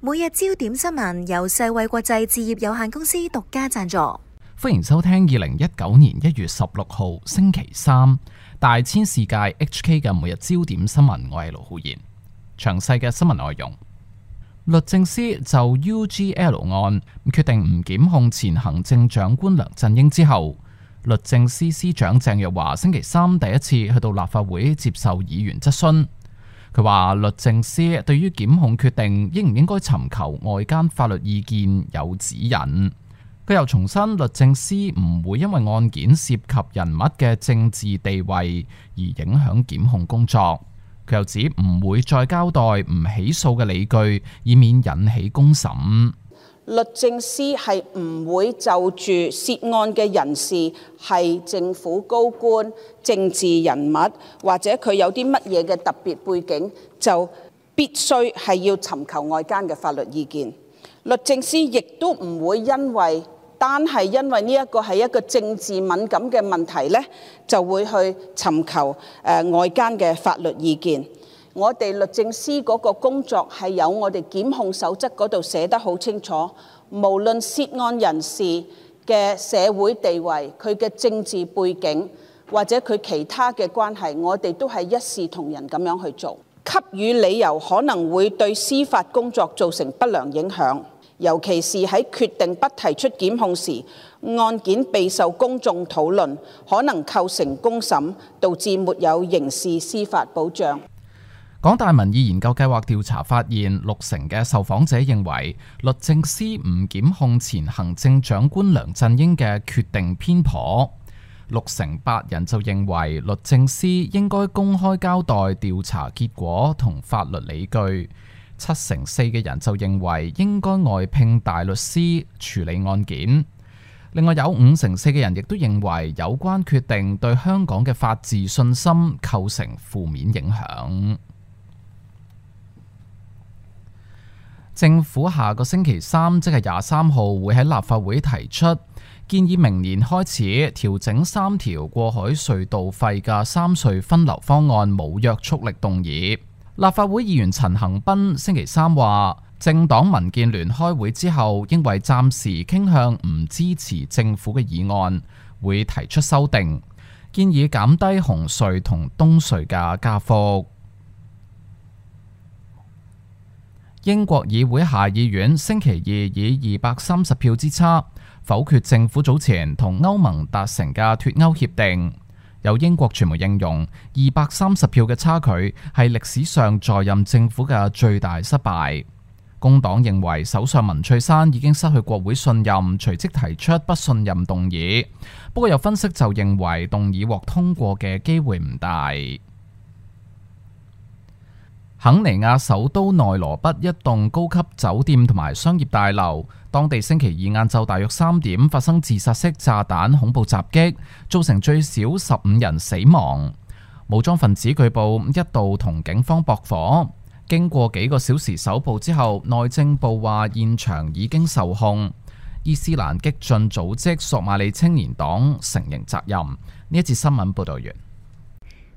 每日焦點新聞由世衛國際置業有限公司獨家贊助。歡迎收聽2019年1月16號星期三大千世界 HK 嘅每日焦點新聞，我係盧浩然。詳細嘅新聞內容，律政司就 UGL 案決定唔檢控前行政長官梁振英之後，律政司司長鄭若驊星期三第一次去到立法會接受議員質詢。佢話律政司對於檢控決定應唔應該尋求外間法律意見有指引。佢又重申律政司唔會因為案件涉及人物嘅政治地位而影響檢控工作。佢又指唔會再交代唔起訴嘅理據，以免引起公審。律政司係唔會就住涉案嘅人士係政府高官、政治人物，或者佢有啲乜嘢嘅特別背景，就必須係要尋求外間嘅法律意見。律政司亦都唔會單係因為呢一個係一個政治敏感嘅問題呢，就會去尋求外間嘅法律意見。我哋律政司嗰個工作係有我哋檢控守則嗰度寫得好清楚，無論涉案人士嘅社會地位、佢嘅政治背景或者佢其他嘅關係，我哋都係一視同仁咁樣去做。給予理由可能會對司法工作造成不良影響，尤其是喺決定不提出檢控時，案件備受公眾討論，可能構成公審，導致沒有刑事司法保障。港大民意研究計劃調查發現，60%嘅受訪者認為律政司唔檢控前行政長官梁振英嘅決定偏頗，68%人就認為律政司應該公開交代調查結果同法律理據，74%嘅人就認為應該外聘大律師處理案件。另外有54%嘅人亦都認為有關決定對香港嘅法治信心構成負面影響。政府下個星期三，即係23號，會喺立法會提出建議，明年開始調整3條過海隧道費嘅三隧分流方案，冇約束力動議。立法會議員陳恒鑌星期三話，政黨民建聯開會之後，因為暫時傾向唔支持政府嘅議案，會提出修訂，建議減低紅隧同東隧嘅加幅。英國議會下議院星期二以230票之差否決政府早前同歐盟達成嘅脫歐協定。有英國傳媒形容230票嘅差距係歷史上在任政府嘅最大失敗。工黨認為首相文翠珊已經失去國會信任，隨即提出不信任動議。不過有分析就認為動議獲通過嘅機會唔大。肯尼亞首都內羅畢一棟高級酒店同埋商業大樓，當地星期二晏晝大約3點發生自殺式炸彈恐怖襲擊，造成最少15人死亡。武裝分子據報一度同警方駁火，經過幾個小時搜捕之後，內政部話現場已經受控。伊斯蘭激進組織索馬里青年黨承認責任。呢一節新聞報道完。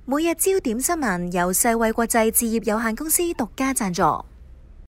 每日焦點新聞由世衛國際置業有限公司獨家贊助。